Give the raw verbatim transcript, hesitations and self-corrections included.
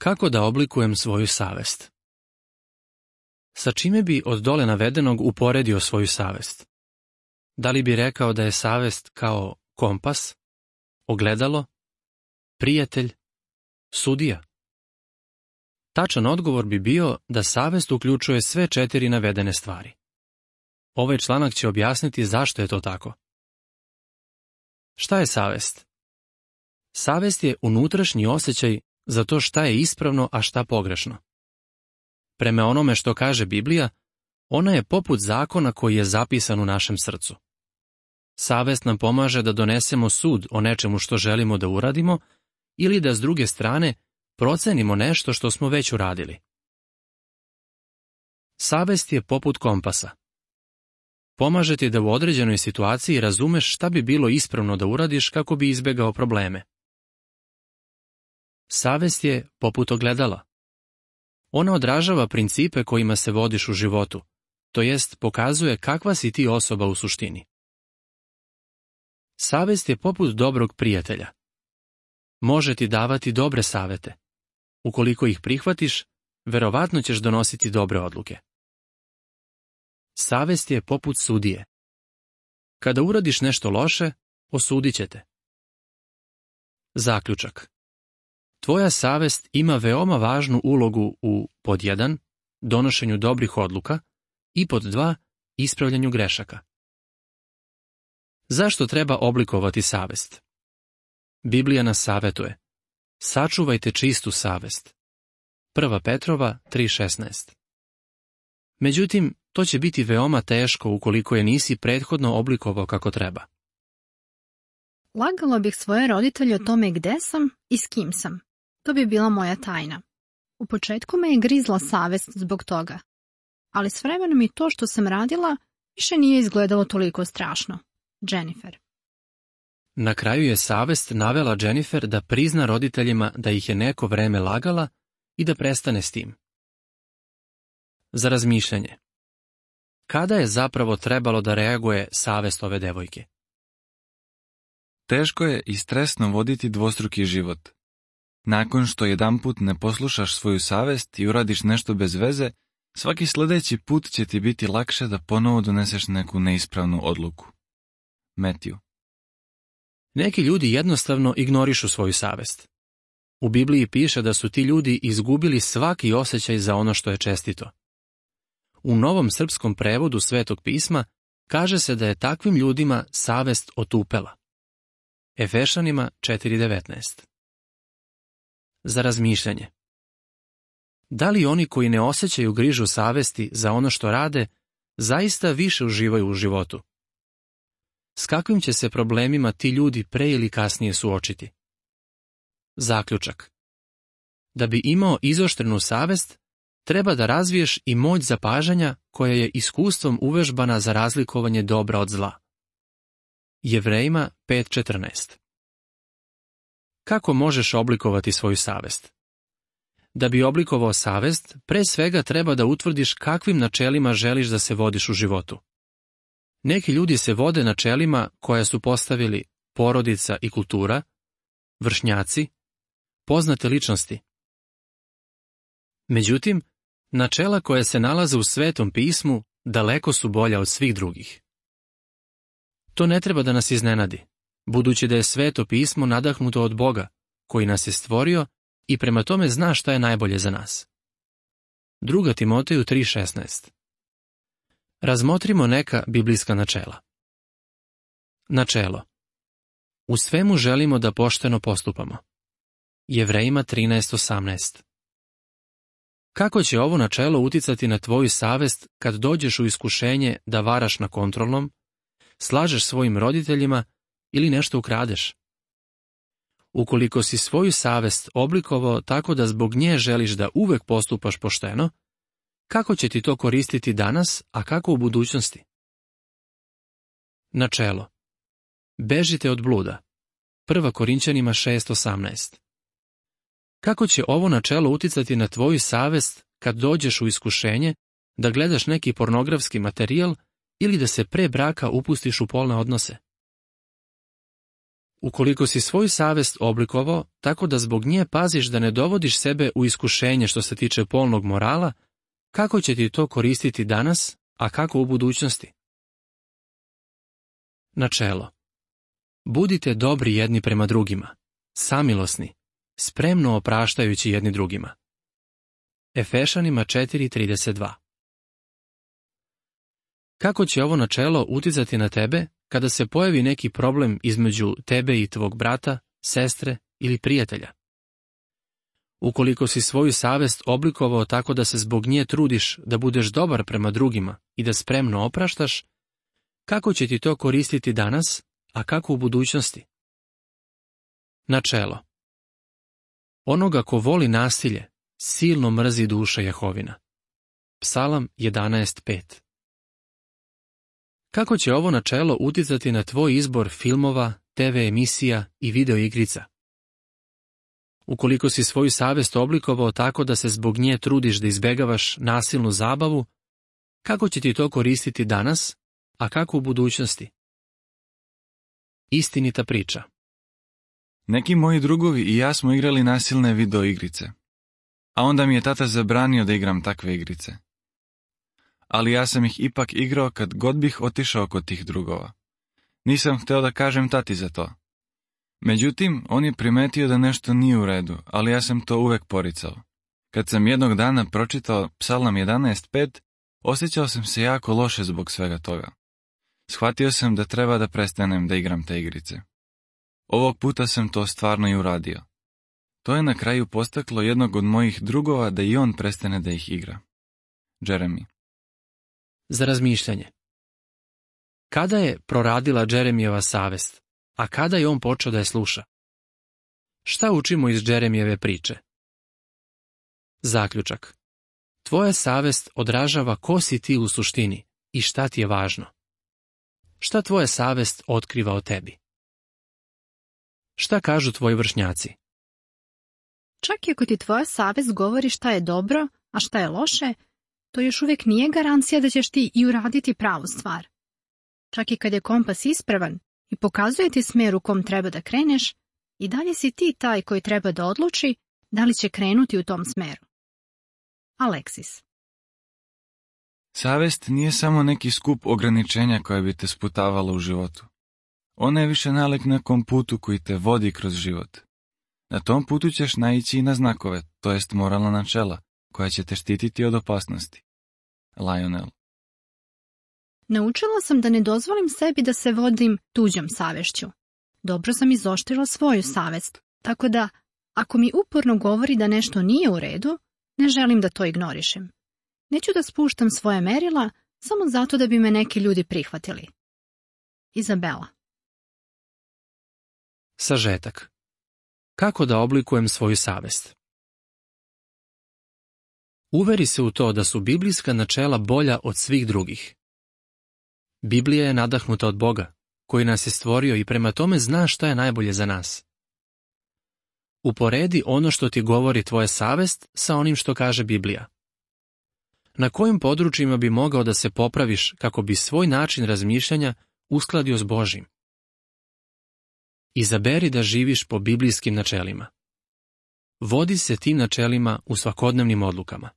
Kako da oblikujem svoju savest? Sa čime bi od dole navedenog uporedio svoju savest? Da li bi rekao da je savest kao kompas, ogledalo, prijatelj, sudija? Tačan odgovor bi bio da savest uključuje sve četiri navedene stvari. Ovaj članak će objasniti zašto je to tako. Šta je savest? Savest je unutrašnji osjećaj za to šta je ispravno, a šta pogrešno. Prema onome što kaže Biblija, ona je poput zakona koji je zapisan u našem srcu. Savest nam pomaže da donesemo sud o nečemu što želimo da uradimo ili da s druge strane procenimo nešto što smo već uradili. Savest je poput kompasa. Pomaže ti da u određenoj situaciji razumeš šta bi bilo ispravno da uradiš kako bi izbegao probleme. Savest je poput ogledala. Ona odražava principe kojima se vodiš u životu, to jest pokazuje kakva si ti osoba u suštini. Savest je poput dobrog prijatelja. Može ti davati dobre savete. Ukoliko ih prihvatiš, verovatno ćeš donositi dobre odluke. Savest je poput sudije. Kada uradiš nešto loše, osudit će te. Zaključak. Tvoja savest ima veoma važnu ulogu u pod jedan donošenju dobrih odluka i pod dva ispravljanju grešaka. Zašto treba oblikovati savest? Biblija nas savetuje: sačuvajte čistu savest. Prva Petrova tri šesnaest. Međutim, to će biti veoma teško ukoliko je nisi prethodno oblikovao kako treba. Lagala bih svoje roditelje o tome gde sam i s kim sam. To bi bila moja tajna. U početku me je grizla savest zbog toga, ali s vremenom i to što sam radila više nije izgledalo toliko strašno. Jennifer. Na kraju je savest navela Jennifer da prizna roditeljima da ih je neko vreme lagala i da prestane s tim. Za razmišljanje. Kada je zapravo trebalo da reaguje savest ove devojke? Teško je i stresno voditi dvostruki život. Nakon što jedanput ne poslušaš svoju savest i uradiš nešto bez veze, svaki sljedeći put će ti biti lakše da ponovo doneseš neku neispravnu odluku. Matthew. Neki ljudi jednostavno ignorišu svoju savest. U Bibliji piše da su ti ljudi izgubili svaki osjećaj za ono što je čestito. U Novom srpskom prevodu Svetog pisma kaže se da je takvim ljudima savest otupela. Efešanima četiri devetnaest. Za razmišljanje. Da li oni koji ne osjećaju grižu savesti za ono što rade, zaista više uživaju u životu? S kakvim će se problemima ti ljudi pre ili kasnije suočiti? Zaključak. Da bi imao izoštrenu savest, treba da razviješ i moć zapažanja koja je iskustvom uvežbana za razlikovanje dobra od zla. Jevrejima pet četrnaest. Kako možeš oblikovati svoju savest? Da bi oblikovao savest, pre svega treba da utvrdiš kakvim načelima želiš da se vodiš u životu. Neki ljudi se vode načelima koja su postavili porodica i kultura, vršnjaci, poznate ličnosti. Međutim, načela koja se nalaze u Svetom pismu daleko su bolja od svih drugih. To ne treba da nas iznenadi, budući da je Sveto pismo nadahnuto od Boga, koji nas je stvorio i prema tome zna šta je najbolje za nas. Druga Timoteju tri šesnaest. Razmotrimo neka biblijska načela. Načelo. U svemu želimo da pošteno postupamo. Jevrejima trinaest osamnaest. Kako će ovo načelo uticati na tvoju savest kad dođeš u iskušenje da varaš na kontrolnom, slažeš svojim roditeljima ili nešto ukradeš? Ukoliko si svoju savest oblikovao tako da zbog nje želiš da uvek postupaš pošteno, kako će ti to koristiti danas, a kako u budućnosti? Načelo. Bežite od bluda. Prva Korinćanima šest osamnaest. Kako će ovo načelo uticati na tvoju savest kad dođeš u iskušenje da gledaš neki pornografski materijal ili da se pre braka upustiš u polne odnose? Ukoliko si svoju savest oblikovao tako da zbog nje paziš da ne dovodiš sebe u iskušenje što se tiče polnog morala, kako će ti to koristiti danas, a kako u budućnosti? Načelo. Budite dobri jedni prema drugima, samilosni, spremno opraštajući jedni drugima. Efešanima četiri trideset dva. Kako će ovo načelo uticati na tebe kada se pojavi neki problem između tebe i tvog brata, sestre ili prijatelja? Ukoliko si svoju savest oblikovao tako da se zbog nje trudiš da budeš dobar prema drugima i da spremno opraštaš, kako će ti to koristiti danas, a kako u budućnosti? Načelo. Onoga ko voli nasilje, silno mrzi duša Jehovina. Psalam jedanaest pet. Kako će ovo načelo uticati na tvoj izbor filmova, te ve emisija i video igrica? Ukoliko si svoju savest oblikovao tako da se zbog nje trudiš da izbegavaš nasilnu zabavu, kako će ti to koristiti danas, a kako u budućnosti? Istinita priča. Neki moji drugovi i ja smo igrali nasilne video igrice. A onda mi je tata zabranio da igram takve igrice. Ali ja sam ih ipak igrao kad god bih otišao kod tih drugova. Nisam hteo da kažem tati za to. Međutim, on je primetio da nešto nije u redu, ali ja sam to uvek poricao. Kad sam jednog dana pročitao Psalam jedanaest pet, osjećao sam se jako loše zbog svega toga. Shvatio sam da treba da prestanem da igram te igrice. Ovog puta sam to stvarno i uradio. To je na kraju postaklo jednog od mojih drugova da i on prestane da ih igra. Jeremy. Za razmišljanje. Kada je proradila Jeremijeva savest, a kada je on počeo da je sluša? Šta učimo iz Jeremijeve priče? Zaključak. Tvoja savest odražava ko si ti u suštini i šta ti je važno. Šta tvoja savest otkriva o tebi? Šta kažu tvoji vršnjaci? Čak i ako ti tvoja savest govori šta je dobro, a šta je loše, to još uvijek nije garancija da ćeš ti i uraditi pravu stvar. Čak i kad je kompas ispravan i pokazuje ti smer u kom treba da kreneš, i dalje si ti taj koji treba da odluči da li će krenuti u tom smeru. Aleksis. Savest nije samo neki skup ograničenja koje bi te sputavalo u životu. Ona je više nalik nekom putu koji te vodi kroz život. Na tom putu ćeš naići i na znakove, to jest moralna načela, koja će te štititi od opasnosti. Lionel. Naučila sam da ne dozvolim sebi da se vodim tuđom savešću. Dobro sam izoštrila svoju savest, tako da, ako mi uporno govori da nešto nije u redu, ne želim da to ignorišem. Neću da spuštam svoje merila samo zato da bi me neki ljudi prihvatili. Izabela. Sažetak. Kako da oblikujem svoju savest? Uveri se u to da su biblijska načela bolja od svih drugih. Biblija je nadahnuta od Boga, koji nas je stvorio i prema tome zna šta je najbolje za nas. Uporedi ono što ti govori tvoja savest sa onim što kaže Biblija. Na kojim područjima bi mogao da se popraviš kako bi svoj način razmišljanja uskladio s Božjim? Izaberi da živiš po biblijskim načelima. Vodi se tim načelima u svakodnevnim odlukama.